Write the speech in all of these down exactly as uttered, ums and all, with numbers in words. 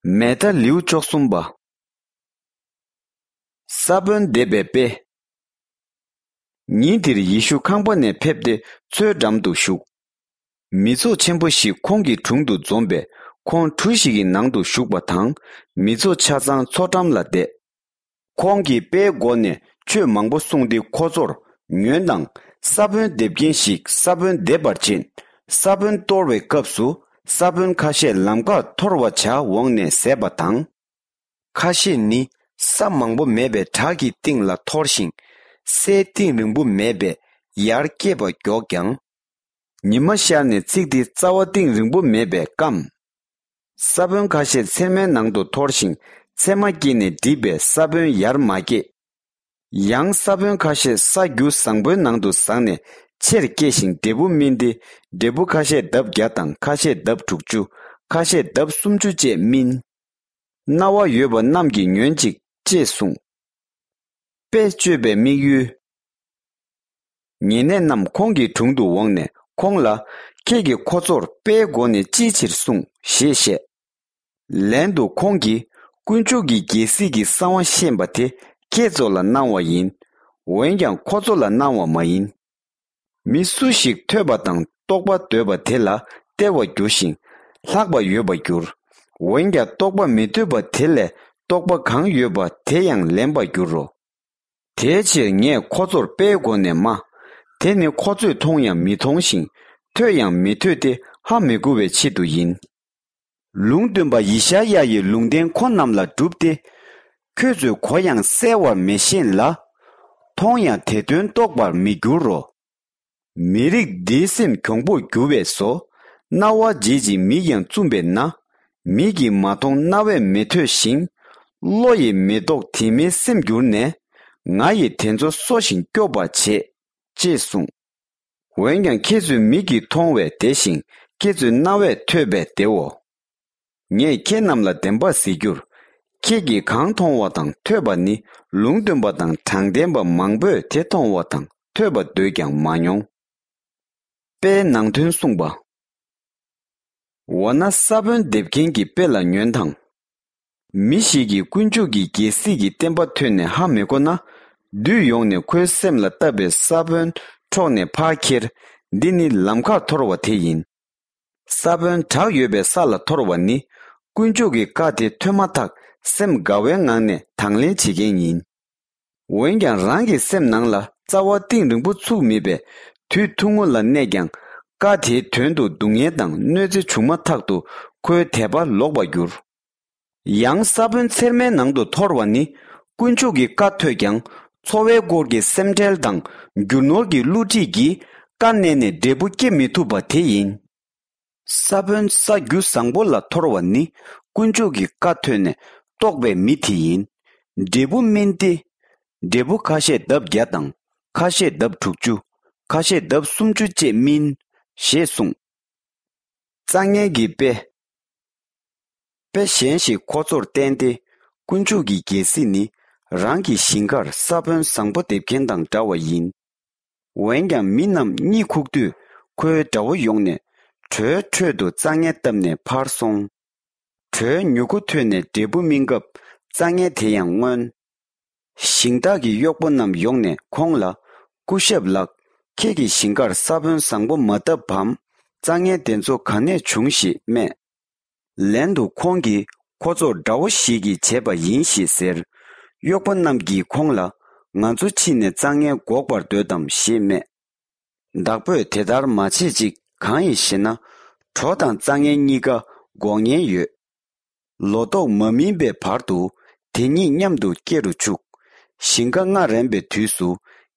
མད་ཐཱ་ལེའུ་བཅུ་གསུམ་པ། ས་བོན་འདེབས་པའི་དཔེ། ཉིན་དེར་ཡེ་ཤུ་ཁང་པ་ནས་ཕེབས་ཏེ་མཚོའི་འགྲམ་དུ་བཞུགས། མི་ཚོགས་ཆེན་པོ་ཞིག་ཁོང་གི་དྲུང་དུ་འཛོམས་པས། ཁོང་གྲུ་ཞིག་གི་ནང་དུ་ཞུགས་པ་དང་། མི་ཚོགས་ཆ་ཚང་མཚོ་འགྲམ་ལ་བསྡད། ཁོང་གིས་དཔེའི་སྒོ་ནས་ཆོས་མང་པོ་གསུངས་ཏེ་ཁོ་ཚོར། ཉོན་དང་། ས་བོན་འདེབས་མཁན་ཞིག་ས་བོན་འདེབས་པར་ཕྱིན། ས་བོན་གཏོར་བའི་སྐབས་སུ། ས་བོན་ཁ་ཤས་ལམ་ཁར་འཐོར་བར་བྱ་འོངས་ནས་ཟད་པ་དང་། ཁ་ཤས་ནི་ས་མང་པོ་མེད་པའི་བྲག་གི་སྟེང་ལ་འཐོར་ཞིང་། སའི་གཏིང་རིང་པོ་མེད་པས་ཡར་སྐྱེས་པ་མགྱོགས་ཀྱང་། ཉི་མ་ཤར་ནས་ཚིག་དེ་རྩ་བ་གཏིང་རིང་པོ་མེད་པས་སྐམ། ས་བོན་ཁ་ཤས་ཚེར་མའི་ནང་དུ་འཐོར་ཞིང་། ཚེར་མ་སྐྱེས་ནས་འགྲིབ་པས་ས་བོན་ཡར་མ་སྐྱེས། ཡང་ས་བོན་ཁ་ཤས་ས་རྒྱུ་བཟང་པོའི་ནང་དུ་ཟགས་ནས་ཆེར་སྐྱེས་ཤིང་འབྲས་བུ་སྨིན་ཏེ། འབྲས་བུ་ཁ་ཤས་ལྡབ་བརྒྱ་དང་ཁ་ཤས་ལྡབ་དྲུག་ཅུ། ཁ་ཤས་ལྡབ་སུམ་ཅུ་བཅས་སྨིན། རྣ་བ་ཡོད་པ་རྣམས་ཀྱིས་ཉོན་ཅིག་ཅེས་གསུངས། དཔེ་བཅོས་པའི་དམིགས་ཡུལ། ཉེ་གནས་རྣམས་ཁོང་གི་དྲུང་དུ་འོངས་ནས་ཁོང་ལ། ཁྱེད་ཀྱིས་ཁོ་ཚོར་དཔེའི་སྒོ་ནས་ཅིའི་ཕྱིར་གསུངས་ཞེས་བཤད། ལན་དུ་ཁོང་གིས། དཀོན་མཆོག་གི་རྒྱལ་སྲིད་ཀྱི་གསང་བ་ཤེས་པ་དེ་ཁྱེད་ཚོ་ལ་གནང་བ་ཡིན། འོན་ཀྱང་ཁོ་ཚོ་ལ་གནང་བ་མ་ཡིན། མི་སུ་ཞིག་ཐོས་པ་དང་རྟོགས་པ་འདོད་པ་དེ་ལ་སྟེར་བར་འགྱུར་ཞིང་། ལྷག་པ་ཡོད་པར་འགྱུར། འོན་ཀྱང་རྟོགས་པ་མི་འདོད་པ་དེ་ལས་རྟོགས་པ་གང་ཡོད་པ་དེ་ཡང་ལེན་པར་འགྱུར་རོ། དེའི་ཕྱིར་ངས་ཁོ་ཚོར་དཔེའི་སྒོ་ནས་སྨྲ། དེ་ནི་ཁོ་ཚོས་མཐོང་ཡང་མི་མཐོང་ཞིང་། ཐོས་ཡང་མི་ཐོས་ཏེ་ཧ་མི་གོ་བའི་ཆེད་དུ་ཡིན། ལུང་སྟོན་པ་ཡེ་ཤ་ཡ་ཡི་ལུང་བསྟན་ཁོ་རྣམས་ལ་བསྒྲུབས་ཏེ། ཁྱོད་ཚོས་གོ་ཡང་གསལ་བར་མི་ཤེས་ལ། མཐོང་ཡང་དེ་དོན་རྟོགས་པར་མི་འགྱུར་རོ། མི་རིགས་འདིའི་སེམས་གྱོང་པོར་འགྱུར་བས་སོ། རྣ་བ་འབྱེད་ཅིང་མིག་ཡང་བཙུམས་པས་ན། མིག་གིས་མ་མཐོང་རྣ་བས་མི་ཐོས་ཤིང་། བློ་ཡིས་མི་རྟོགས་དྲི་མའི་སེམས་གྱུར་ནས། ང་ཡིས་དེ་ཚོ་གསོ་ཞིང་སྐྱོབ་པར་བྱེད། ཅེས་གསུངས། འོན་ཀྱང་ཁྱེད་ཚོས་མིག་གིས་མཐོང་བས་བདེ་ཞིང་། ཁྱེད་ཚོས་རྣ་བས་ཐོས་པས་བདེའོ། ངས་ཁྱེད་རྣམས་ལ་བདེན་པར་ཟེར་རྒྱུར། ཁྱེད་ཀྱིས་གང་མཐོང་བ་དང་ཐོས་པ་ནི་ལུང་སྟོན་པ་དང་དྲང་བདེན་པ་མང་པོས་དེ་མཐོང་བ་དང་ཐོས་པ་འདོད་ཀྱང་མ་མྱོང་། དཔེའི་ནང་དོན་གསུངས་པ། འོ་ན་ས་བོན་འདེབས་མཁན་གྱི་དཔེ་ལ་ཉོན་དང་། མི་ཞིག་གིས་དཀོན་མཆོག་གི་རྒྱལ་སྲིད་ཀྱི་བསྟན་པ་ཐོས་ནས་ཧ་མི་གོ་ན། བདུད་ཡོང་ནས་ཁོའི་སེམས་ལ་བཏབ་པའི་ས་བོན་འཕྲོག་ནས་ཕར་ཁྱེར། འདི་ནི་ལམ་ཁར་འཐོར་བ་དེ་ཡིན། ས་བོན་བྲག་ཡོད་པའི་ས་ལ་འཐོར་བ་ནི། དཀོན་མཆོག་གི་བཀའ་དེ་ཐོས་མ་ཐག་སེམས་དགའ་བའི་ངང་ནས་དང་ལེན་བྱེད་མཁན་ཡིན། འོན་ཀྱང་རང་གི་སེམས་ནང་ལ་རྩ་བ་གཏིང་རིང་པོ་ཚུགས་མེད་པས། དུས་ཐུང་ངུ་ལ་གནས་ཀྱང་། བཀའ་དེའི་དོན་དུ་སྡུག་བསྔལ་དང་གནོད་འཚེ་བྱུང་མ་ཐག་ཏུ་ཁོའི་དད་པ་ལོག་པར་འགྱུར། ཡང་ས་བོན་ཚེར་མའི་ནང་དུ་འཐོར་བ་ནི། དཀོན་མཆོག་གི་བཀའ་ཐོས་ཀྱང་། འཚོ་བའི་སྐོར་གྱི་སེམས་ཁྲལ་དང་། རྒྱུ་ནོར་གྱི་བསླུ་བྲིད་ཀྱིས། བཀའ་གནས་ནས་འབྲས་བུ་སྐྱེ་མི་ཐུབ་པ་དེ་ཡིན། ས་བོན་ས་རྒྱུ་བཟང་པོ་ལ་འཐོར་བ་ནི། དཀོན་མཆོག་གི་བཀའ་ཐོས་ནས་རྟོགས་པའི་མི་དེ་ཡིན། འབྲས་བུ་སྨིན་ཏེ། འབྲས་བུ་ཁ་ཤས་ལྡབ་བརྒྱ་དང་། ཁ་ཤས་ལྡབ་དྲུག་ཅུ། ཁ་ཤས་ལྡབ་སུམ་ཅུ་བཅས་སྨིན། ཞེས་གསུངས། རྩྭ་ངན་གྱི་དཔེ། དཔེ་གཞན་ཞིག་ཁོ་ཚོར་བསྟན་ཏེ། དཀོན་མཆོག་གི་རྒྱལ་སྲིད་ནི། རང་གི་ཞིང་ཁར་ས་བོན་བཟང་པོ་འདེབས་མཁན་དང་འདྲ་བ་ཡིན། འོན་ཀྱང་མི་རྣམས་གཉིད་ཁུག་དུས། ཁོའི་དགྲ་བོ་ཡོང་ནས། གྲོའི་ཁྲོད་དུ་རྩྭ་ངན་བཏབ་ནས་ཕར་སོང་། གྲོའི་མྱུ་གུ་ཐོན་ནས་འབྲས་བུ་སྨིན་སྐབས། རྩྭ་ངན་དེ་ཡང་རྔོན། ཞིང་བདག་གི་གཡོག་པོ་རྣམས་ཡོང་ནས་ཁོང་ལ། སྐུ་ཞབས་ལགས། ཁྱེད་ཀྱི་ཞིང་ཁར་ས་བོན་བཟང་པོ་མ་བཏབ་བམ། རྩྭ་ངན་དེ་ཚོ་ག་ནས་བྱུང་ཞེས་སྨྲས། ལན་དུ་ཁོང་གིས་ཁོ་ཚོར་དགྲ་བོ་ཞིག་གིས་བྱས་པ་ཡིན་ཞེས་ཟེར། གཡོག་པོ་རྣམས་ཀྱིས་ཁོང་ལ། ང་ཚོ་ཕྱིན་ནས་རྩྭ་ངན་འགོག་པར་འདོད་དམ་ཞེས་སྨྲས། བདག་པོས་དེ་ལྟར་མ་བྱེད་ཅིག་གང་ཡིན་ཞེ་ན། གྲོ་དང་རྩྭ་ངན་གཉིས་ཀ་འགོག་ཉེན་ཡོད། ལོ་ཏོག་མ་སྨིན་པའི་བར་དུ་དེ་གཉིས་མཉམ་དུ་སྐྱེ་རུ་ཆུག་ཞིང་ཁ་རྔ་རན་པའི་དུས་སུ།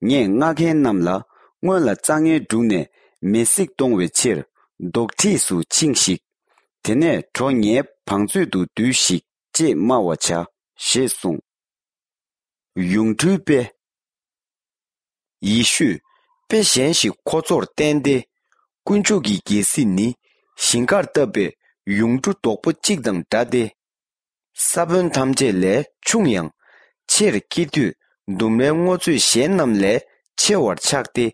ངས་རྔ་མཁན་རྣམས་ལ། སྔོན་ལ་རྩྭ་ངན་བསྒྲུགས་ནས་མེ་བསྲེགས་གཏོང་བའི་ཕྱིར། རྡོག་ཁྲེས་སུ་ཕྱིན་ཞིག་དེ་ནས་གྲོ་ངའི་བང་མཛོད་དུ་བསྡུས་ཤིག་ཅེས་སྨྲ་བར་བྱ། ཞེས་གསུངས། ཡུངས་འབྲུའི་དཔེ། ཡེ་ཤུས་དཔེ་གཞན་ཞིག་ཁོ་ཚོར་བསྟན་ཏེ། དཀོན་མཆོག་གི་རྒྱལ་སྲིད་ནི། ཞིང་ཁར་བཏབ་པའི་ཡུངས་འབྲུ་རྡོག་པོ་གཅིག་དང་འདྲ་སྟེ། ས་བོན་ཐམས་ཅད་ལས་ཆུང་ཡང་། ཆེར་སྐྱེ་དུས་ལྡུམ་རའི་སྔོ་ཚོད་གཞན་རྣམས་ལས་ཆེ་བར་ཆགས་ཏེ།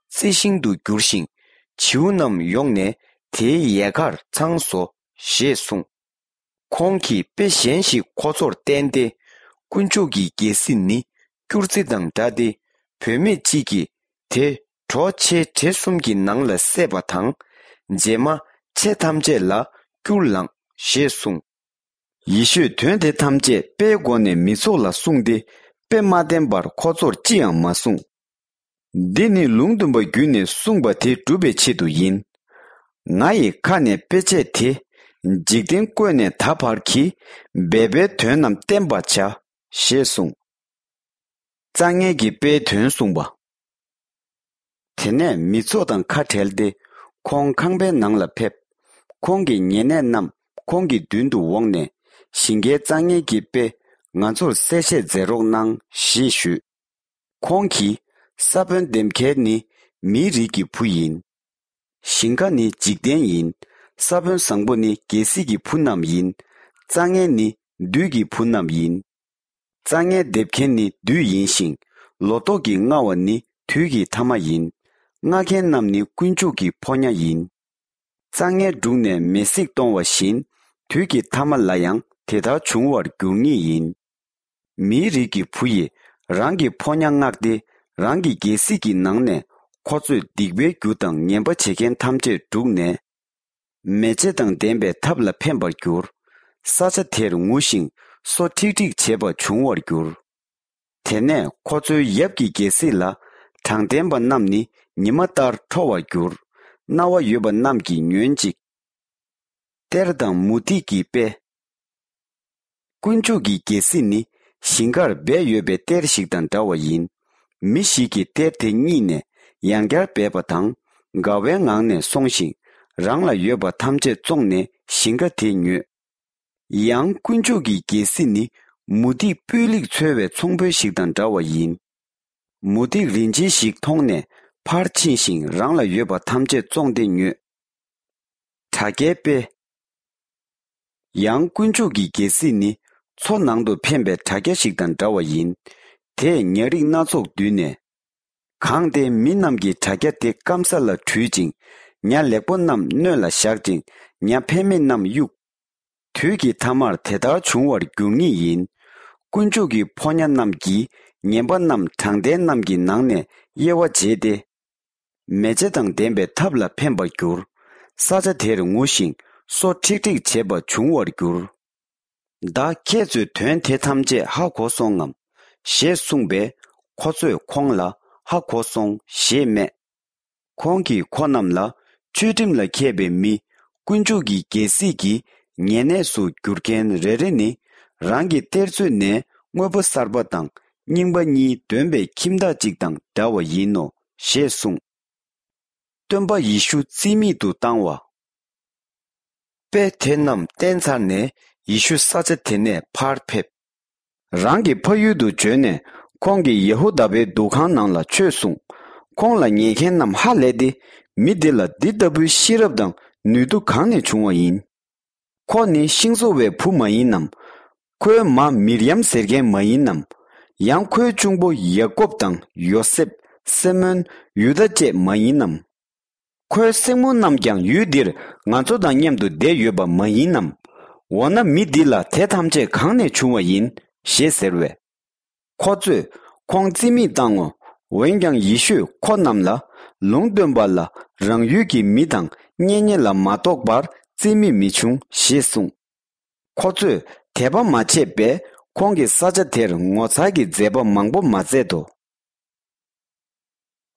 རྩི་ཤིང་དུ་འགྱུར་ཞིང་། བྱིའུ་རྣམས་ཡོང་ནས་དེའི་ཡལ་གར་འཚང་སོ། ཞེས་གསུངས། ཁོང་གིས་དཔེ་གཞན་ཞིག་ཁོ་ཚོར་བསྟན་ཏེ། དཀོན་མཆོག་གི་རྒྱལ་སྲིད་ནི་སྐྱུར་རྩི་དང་འདྲ་སྟེ། བུད་མེད་ཅིག་གིས་དེ་གྲོ་ཆེ་བྲེ་གསུམ་གྱི་ནང་ལ་བསྲེས་པ་དང་། རྗེས་མ་ཆེ་ཐམས་ཅད་ལ་སྐྱུར་ལངས་ཞེས་གསུངས། ཡེ་ཤུས་དོན་དེ་ཐམས་ཅད་དཔེའི་སྒོ་ནས་མི་ཚོགས་ལ་གསུངས་ཏེ། དཔེ་མ་བསྟན་པར་ཁོ་ཚོར་ཅི་ཡང་མ་གསུངས། འདི་ནི་ལུང་སྟོན་པ་བརྒྱུད་ནས་གསུངས་པ་དེ་སྒྲུབ་པའི་ཆེད་དུ་ཡིན། ང་ཡི་ཁ་ནས་དཔེ་བྱད་དེ་འཇིག་རྟེན་བཀོད་ནས་ད་བར་གྱི་སྦས་པའི་དོན་རྣམས་བསྟན་པར་བྱ། ཞེས་གསུངས། རྩྭ་ངན་གྱི་དཔེའི་དོན་གསུངས་པ། དེ་ནས་མི་ཚོགས་དང་ཁ་བྲལ་ཏེ། ཁོང་ཁང་པའི་ནང་ལ་ཕེབས། ཁོང་གི་ཉེ་གནས་རྣམས་ཁོང་གི་མདུན་དུ་འོངས་ནས། ཞིང་ཁའི་རྩྭ་ངན་གྱི་དཔེ་ང་ཚོར་གསལ་བཤད་མཛད་རོགས་གནང་ཞེས་ཞུས། ཁོང་གིས། ས་བོན་འདེབས་མཁན་ནི་མིའི་རིགས་ཀྱི་བུ་ཡིན། ཞིང་ཁ་ནི་འཇིག་རྟེན་ཡིན། ས་བོན་བཟང་པོ་ནི་རྒྱལ་སྲིད་ཀྱི་བུ་རྣམས་ཡིན། རྩྭ་ངན་ནི་བདུད་ཀྱི་བུ་རྣམས་ཡིན། རྩྭ་ངན་འདེབས་མཁན་ནི་བདུད་ཡིན་ཞིང་། ལོ་ཏོག་གི་རྔ་བ་ནི་དུས་ཀྱི་ཐ་མ་ཡིན། རྔ་མཁན་རྣམས་ནི་དཀོན་མཆོག་གི་ཕོ་ཉ་ཡིན། རྩྭ་ངན་བསྒྲུགས་ནས་མེ་བསྲེགས་གཏོང་བ་བཞིན། དུས་ཀྱི་ཐ་མ་ལ་ཡང་དེ་ལྟར་འབྱུང་བར་འགྱུར་ངེས་ཡིན། མིའི་རིགས་ཀྱི་བུ་ཡིས་རང་གི་ཕོ་ཉ་མངགས་ཏེ། རང་གི་རྒྱལ་སྲིད་ཀྱི་ནང་ནས་ཁོ་ཚོས་སྡིག་པའི་རྒྱུ་དང་ངན་པ་བྱེད་མཁན་ཐམས་ཅད་བསྒྲུགས་ནས། མེ་ལྕེ་དང་ལྡན་པའི་ཐབ་ལ་འཕེན་པར་འགྱུར། ས་ཆ་དེར་ངུ་ཞིང་སོ་ཁྲིག་ཁྲིག་བྱེད་པ་འབྱུང་བར་འགྱུར། དེ་ནས་ཁོ་ཚོའི་ཡབ་ཀྱི་རྒྱལ་སྲིད་ལ་དྲང་བདེན་པ་རྣམས་ནི་ཉི་མ་ལྟར་ཁྲོ་བར་འགྱུར། རྣ་བ་ཡོད་པ་རྣམས་ཀྱིས་ཉོན་ཅིག། གཏེར་དང་མུ་ཏིག་གི་དཔེ། དཀོན་མཆོག་གི་རྒྱལ་སྲིད་ནི་ཞིང་ཁར་སྦས་ཡོད་པའི་གཏེར་ཞིག་དང་འདྲ་བ་ཡིན། མི་ཞིག་གིས་གཏེར་དེ་རྙེད་ནས་ཡང་བསྐྱར་སྦས་པ་དང་། དགའ་བའི་ངང་ནས་སོང་ཞིང་། རང་ལ་ཡོད་པ་ཐམས་ཅད་བཙོངས་ནས་ཞིང་ཁ་དེ་ཉོས། ཡང་དཀོན་མཆོག་གི་རྒྱལ་སྲིད་ནི་མུ་ཏིག་སྤུས་ལེགས་འཚོལ་བའི་ཚོང་དཔོན་ཞིག་དང་འདྲ་བ་ཡིན། མུ་ཏིག་རིན་ཆེན་ཞིག་མཐོང་ནས་ཕར་ཕྱིན་ཞིང་། རང་ལ་ཡོད་པ་ཐམས་ཅད་བཙོངས་ཏེ་ཉོས། དྲ་རྒྱའི་དཔེ། ཡང་དཀོན་མཆོག་གི་རྒྱལ་སྲིད་ནི་མཚོ་ནང་དུ་འཕེན་པའི་དྲ་རྒྱ་ཞིག་དང་འདྲ་བ་ཡིན། དེས་ཉ་རིགས་སྣ་ཚོགས་བསྡུས་ནས། གང་སྟེ་མི་རྣམས་ཀྱིས་དྲ་རྒྱ་དེ་སྐམ་ས་ལ་བྲུས་ཅིང་། ཉ་ལེགས་པོ་རྣམས་སྣོད་ལ་བཞག་ཅིང་། ཉ་ཕན་མེད་རྣམས་གཡུགས། དུས་ཀྱི་ཐ་མར་དེ་ལྟར་འབྱུང་བར་འགྱུར་ངེས་ཡིན། དཀོན་མཆོག་གི་ཕོ་ཉ་རྣམས་ཀྱིས་ངན་པ་རྣམས་དྲང་བདེན་རྣམས་ཀྱི་ནང་ནས་དབྱེ་བ་འབྱེད་དེ། མེ་ལྕེ་དང་ལྡན་པའི་ཐབ་ལ་འཕེན་པར་འགྱུར། ས་ཆ་དེར་ངུ་ཞིང་སོ་ཁྲིག་ཁྲིག་བྱེད་པ་འབྱུང་བར་འགྱུར། ད་ཁྱེད་ཚོས་དོན་དེ་ཐམས་ཅད་ཧ་གོ་སོང་ངམ། ཞེས་གསུངས་པས། ཁོ་ཚོས་ཁོང་ལ་ཧ་གོ་སོང་ཞེས་སྨྲས། ཁོང་གིས་ཁོ་རྣམས་ལ། ཆོས་ཁྲིམས་ལ་མཁས་པའི་མི། དཀོན་མཆོག་གི་རྒྱལ་སྲིད་ཀྱི་ཉེ་གནས་སུ་འགྱུར་མཁན་རེ་རེ་ནི། རང་གི་གཏེར་མཛོད་ནས་དངོས་པོ་གསར་པ་དང་རྙིང་པ་གཉིས་འདོན་པའི་ཁྱིམ་བདག་ཅིག་དང་འདྲ་བ་ཡིན་ནོ། ཞེས་གསུངས། སྟོན་པ་ཡེ་ཤུ་རྩིས་མེད་དུ་བཏང་བ། དཔེ་དེ་རྣམས་བསྟན་ཚར་ནས་ཡེ་ཤུ་ས་ཆ་དེ་ནས་ཕར་ཕེབས། རང་གི་ཕ་ཡུལ་དུ་བྱོན་ནས། ཁོང་གིས་ཡ་ཧུ་དཱ་པའི་འདུ་ཁང་ནང་ལ་ཆོས་གསུངས། ཁོང་ལ་ཉན་མཁན་རྣམས་ཧ་ལས་ཏེ། མི་འདི་ལ་འདི་ལྟ་བུའི་ཤེས་རབ་དང་ནུས་མཐུ་གང་ནས་བྱུང་བ་ཡིན། ཁོ་ནི་ཤིང་བཟོ་བའི་བུ་མ་ཡིན་ནམ། ཁོའི་མ་མིར་ཡམ་ཟེར་མཁན་མ་ཡིན་ནམ། ཡང་ཁོའི་གཅུང་པོ་ཡ་ཀོབ་དང་ཡོ་སེབ། སི་མོན། ཡུ་དཱ་བཅས་མ་ཡིན་ནམ། ཁོའི་སྲིང་མོ་རྣམས་ཀྱང་ཡུལ་འདིར་ང་ཚོ་དང་མཉམ་དུ་བསྡད་ཡོད་པ་མ་ཡིན་ནམ། འོ་ན་མི་འདི་ལ་དེ་ཐམས་ཅད་གང་ནས་བྱུང་བ་ཡིན། ཞེས་ཟེར་བས། ཁོ་ཚོས་ཁོང་རྩིས་མེད་བཏང་ངོ་། འོན་ཀྱང་ཡེ་ཤུས་ཁོ་རྣམས་ལ། ལུང་སྟོན་པ་ལ་རང་ཡུལ་གྱི་མི་དང་གཉེན་ཉེ་ལ་མ་གཏོགས་པར་རྩིས་མེད་མི་བྱུང་ཞེས་གསུངས། ཁོ་ཚོས་དད་པ་མ་བྱས་པས་ཁོང་གིས་ས་ཆ་དེར་ངོ་མཚར་གྱི་མཛད་པ་མང་པོ་མ་མཛད་དོ།